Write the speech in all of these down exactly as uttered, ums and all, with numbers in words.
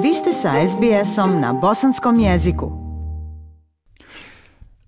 Vi ste sa es be esom na bosanskom jeziku.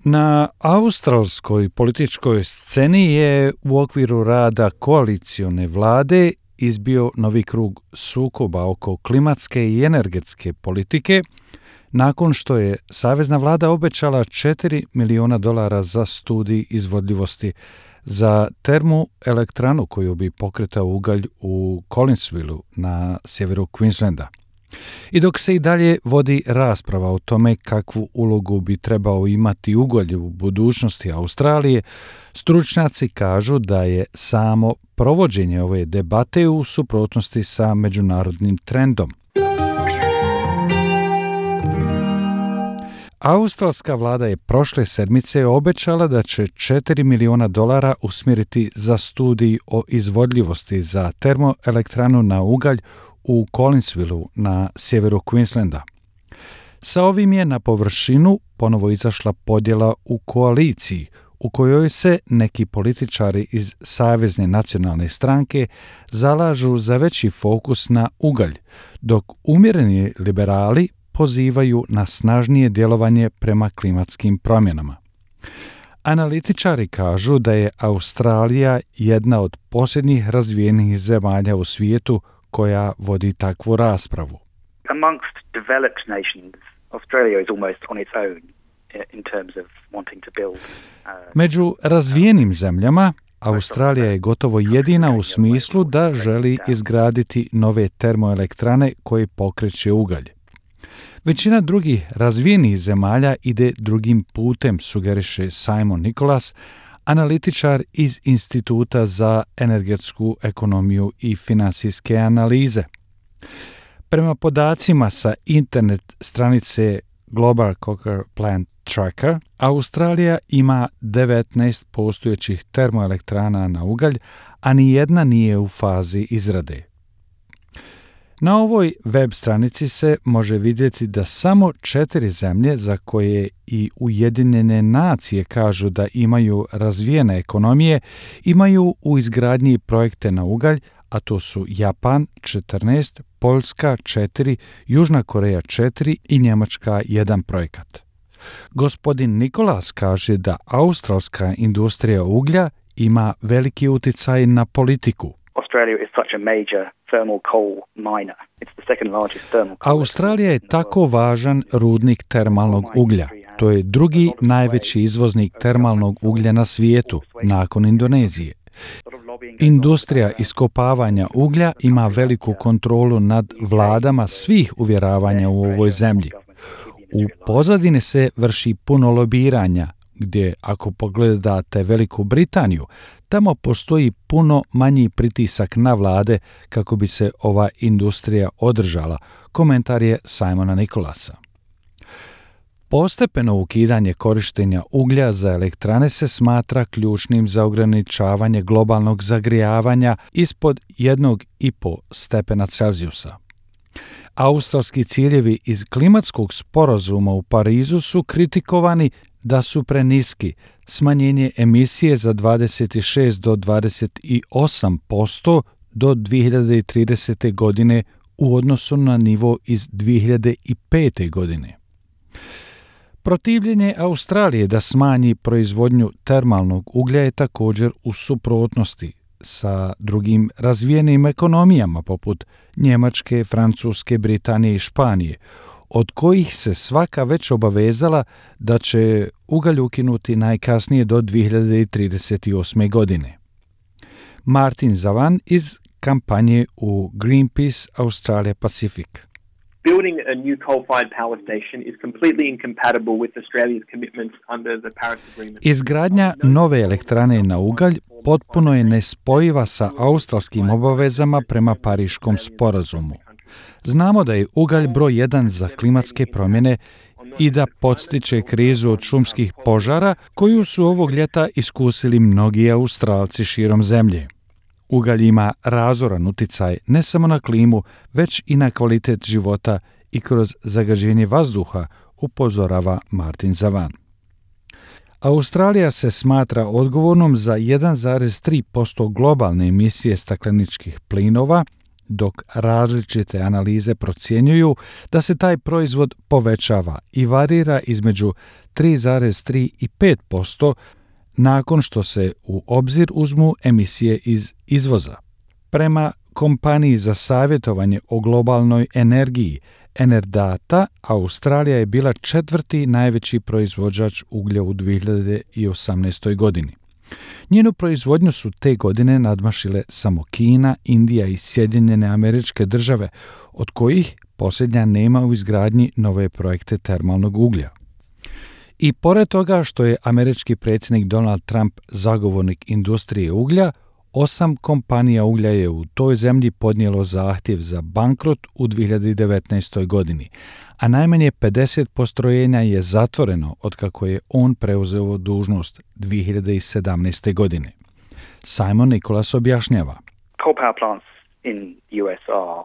Na australskoj političkoj sceni je u okviru rada koalicione vlade izbio novi krug sukoba oko klimatske i energetske politike, nakon što je savezna vlada obećala četiri miliona dolara za studij izvodljivosti za termoelektranu koju bi pokretao ugalj u Collinsvilleu na sjeveru Queenslanda. I dok se i dalje vodi rasprava o tome kakvu ulogu bi trebao imati ugalj u budućnosti Australije, stručnjaci kažu da je samo provođenje ove debate u suprotnosti sa međunarodnim trendom. Australska vlada je prošle sedmice obećala da će četiri miliona dolara usmjeriti za studij o izvodljivosti za termoelektranu na ugalj u Collinsvilleu na sjeveru Queenslanda. Sa ovim je na površinu ponovo izašla podjela u koaliciji, u kojoj se neki političari iz Savezne nacionalne stranke zalažu za veći fokus na ugalj, dok umjereni liberali pozivaju na snažnije djelovanje prema klimatskim promjenama. Analitičari kažu da je Australija jedna od posljednjih razvijenih zemalja u svijetu koja vodi takvu raspravu. Amongst developed nations, Australia is almost on its own in terms of wanting to build. Među razvijenim zemljama, Australija je gotovo jedina u smislu da želi izgraditi nove termoelektrane koje pokreće ugalj. Većina drugih razvijenih zemalja ide drugim putem, sugeriše Simon Nicholas, analitičar iz Instituta za energetsku ekonomiju i financijske analize. Prema podacima sa internet stranice Global Coker Plant Tracker, Australija ima devetnaest postojećih termoelektrana na ugalj, a nijedna nije u fazi izrade. Na ovoj web stranici se može vidjeti da samo četiri zemlje za koje i Ujedinjene nacije kažu da imaju razvijene ekonomije imaju u izgradnji projekte na ugalj, a to su Japan četrnaest, Poljska četiri, Južna Koreja četiri i Njemačka jedan projekat. Gospodin Nikolas kaže da australska industrija uglja ima veliki utjecaj na politiku. Australia is such a major thermal coal miner. It's the second largest thermal coal. Australija je tako važan rudnik termalnog uglja. To je drugi najveći izvoznik termalnog uglja na svijetu, nakon Indonezije. Industrija iskopavanja uglja ima veliku kontrolu nad vladama svih uvjeravanja u ovoj zemlji. U pozadini se vrši puno lobiranja, gdje ako pogledate Veliku Britaniju, tamo postoji puno manji pritisak na vlade kako bi se ova industrija održala, komentar je Simona Nicholasa. Postepeno ukidanje korištenja uglja za elektrane se smatra ključnim za ograničavanje globalnog zagrijavanja ispod jednog i pol stepena Celzijusa. Australski ciljevi iz klimatskog sporazuma u Parizu su kritikovani da su preniski, smanjenje emisije za dvadeset šest do dvadeset osam posto do dvije hiljade tridesete. godine u odnosu na nivo iz dvije hiljade pete. godine. Protivljenje Australije da smanji proizvodnju termalnog uglja je također u suprotnosti sa drugim razvijenim ekonomijama poput Njemačke, Francuske, Britanije i Španije, od kojih se svaka već obavezala da će ugalj ukinuti najkasnije do dvije hiljade trideset osme. godine. Martin Zavan iz kampanje u Greenpeace Australia Pacific. Building a new coal-fired power station is completely incompatible with Australia's commitments under the Paris Agreement. Izgradnja nove elektrane na ugalj potpuno je nespojiva sa australskim obavezama prema Pariškom sporazumu. Znamo da je ugalj broj jedan za klimatske promjene i da podstiče krizu od šumskih požara koju su ovog ljeta iskusili mnogi Australci širom zemlje. Ugalj ima razoran utjecaj ne samo na klimu, već i na kvalitet života i kroz zagađenje vazduha, upozorava Martin Zavan. Australija se smatra odgovornom za jedan zarez tri posto globalne emisije stakleničkih plinova dok različite analize procjenjuju da se taj proizvod povećava i varira između tri zarez tri i pet posto nakon što se u obzir uzmu emisije iz izvoza. Prema kompaniji za savjetovanje o globalnoj energiji Enerdata, Australija je bila četvrti najveći proizvođač uglja u dvije hiljade osamnaestoj. godini. Njenu proizvodnju su te godine nadmašile samo Kina, Indija i Sjedinjene Američke Države, od kojih posljednja nema u izgradnji nove projekte termalnog uglja. I pored toga što je američki predsjednik Donald Trump zagovornik industrije uglja, osam kompanija uglja je u toj zemlji podnijelo zahtjev za bankrot u dvije hiljade devetnaestoj. godini, a najmanje pedeset postrojenja je zatvoreno otkako je on preuzeo dužnost dvije hiljade sedamnaeste. godine. Simon Nicholas objašnjava. Coal power plants in U S are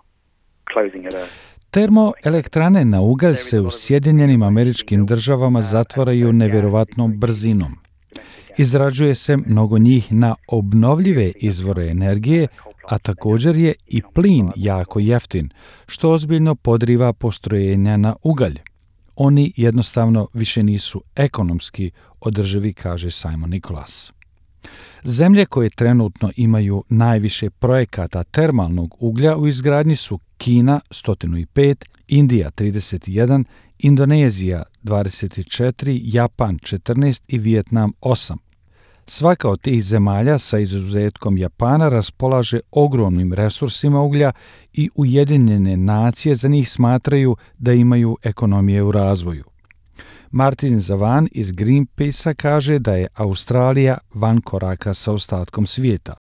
closing at a Termoelektrane na ugalj se u Sjedinjenim Američkim Državama zatvaraju nevjerovatnom brzinom. Izrađuje se mnogo njih na obnovljive izvore energije, a također je i plin jako jeftin, što ozbiljno podriva postrojenja na ugalj. Oni jednostavno više nisu ekonomski održivi, kaže Simon Nicholas. Zemlje koje trenutno imaju najviše projekata termalnog uglja u izgradnji su Kina sto pet, Indija trideset jedan, Indonezija dvadeset četiri, Japan četrnaest i Vijetnam osam. Svaka od tih zemalja sa izuzetkom Japana raspolaže ogromnim resursima uglja i Ujedinjene nacije za njih smatraju da imaju ekonomije u razvoju. Martin Zavan iz Greenpeace-a kaže da je Australija van koraka sa ostatkom svijeta.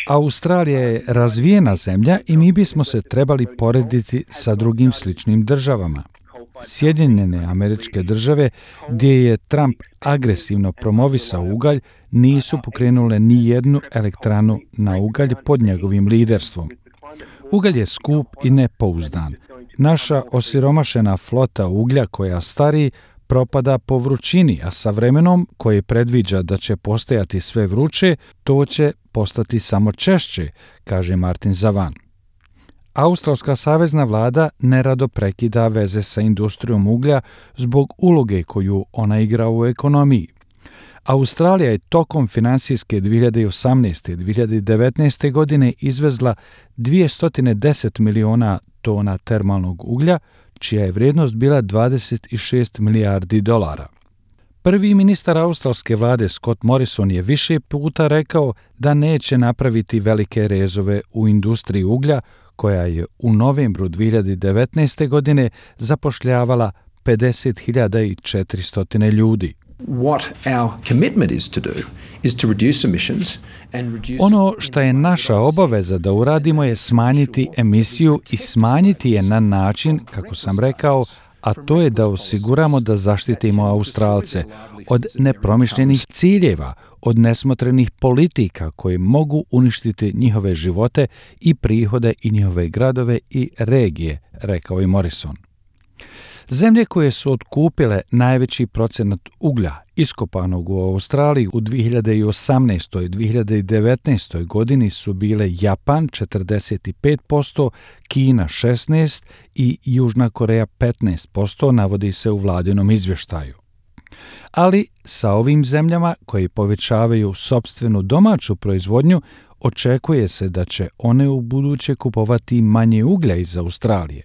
Australija je razvijena zemlja i mi bismo se trebali porediti sa drugim sličnim državama. Sjedinjene Američke Države, gdje je Trump agresivno promovisao ugalj, nisu pokrenule ni jednu elektranu na ugalj pod njegovim liderstvom. Ugalj je skup i nepouzdan. Naša osiromašena flota uglja koja stari propada po vrućini, a sa vremenom koje predviđa da će postajati sve vruće, to će postati samo češće, kaže Martin Zavan. Australska savezna vlada nerado prekida veze sa industrijom uglja zbog uloge koju ona igra u ekonomiji. Australija je tokom finansijske dvije hiljade osamnaeste. i dvije hiljade devetnaeste. godine izvezla dvjesto deset miliona tona termalnog uglja, čija je vrijednost bila dvadeset šest milijardi dolara. Prvi ministar australske vlade Scott Morrison je više puta rekao da neće napraviti velike rezove u industriji uglja, koja je u novembru dvije hiljade devetnaeste. godine zapošljavala pedeset hiljada četiristo ljudi. Ono što je naša obaveza da uradimo je smanjiti emisiju i smanjiti je na način, kako sam rekao, a to je da osiguramo da zaštitimo Australce od nepromišljenih ciljeva, od nesmotrenih politika koje mogu uništiti njihove živote i prihode i njihove gradove i regije, rekao je Morrison. Zemlje koje su otkupile najveći procenat uglja iskopanog u Australiji u dvije hiljade osamnaestoj. i dvije hiljade devetnaestoj. godini su bile Japan četrdeset pet posto, Kina šesnaest posto i Južna Koreja petnaest posto, navodi se u vladinom izvještaju. Ali sa ovim zemljama koje povećavaju sopstvenu domaću proizvodnju, očekuje se da će one u buduće kupovati manje uglja iz Australije.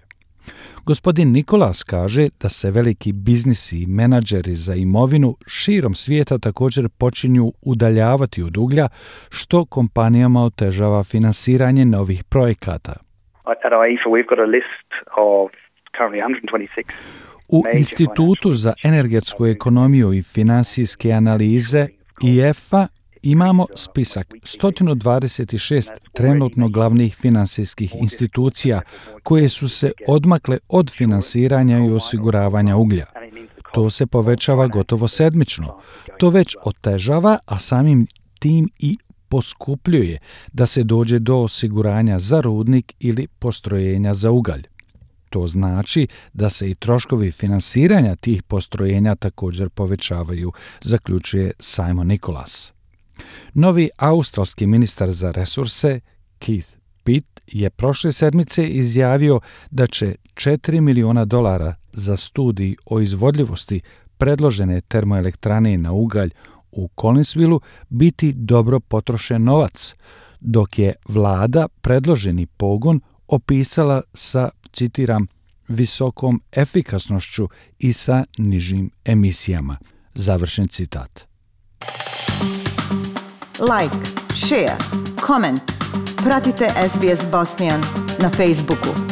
Gospodin Nicholas kaže da se veliki biznisi i menadžeri za imovinu širom svijeta također počinju udaljavati od uglja, što kompanijama otežava finansiranje novih projekata. U Institutu za energetsku ekonomiju i financijske analize I F A imamo spisak sto dvadeset šest trenutno glavnih financijskih institucija koje su se odmakle od finansiranja i osiguravanja uglja. To se povećava gotovo sedmično. To već otežava, a samim tim i poskupljuje da se dođe do osiguranja za rudnik ili postrojenja za ugalj. To znači da se i troškovi finansiranja tih postrojenja također povećavaju, zaključuje Simon Nicholas. Novi australski ministar za resurse, Keith Pitt, je prošle sedmice izjavio da će četiri miliona dolara za studij o izvodljivosti predložene termoelektrane na ugalj u Collinsvilleu biti dobro potrošen novac, dok je vlada predloženi pogon opisala sa, citiram, visokom efikasnošću i sa nižim emisijama. Završen citat. Like, share, comment. Pratite S B S Bosnian na Facebooku.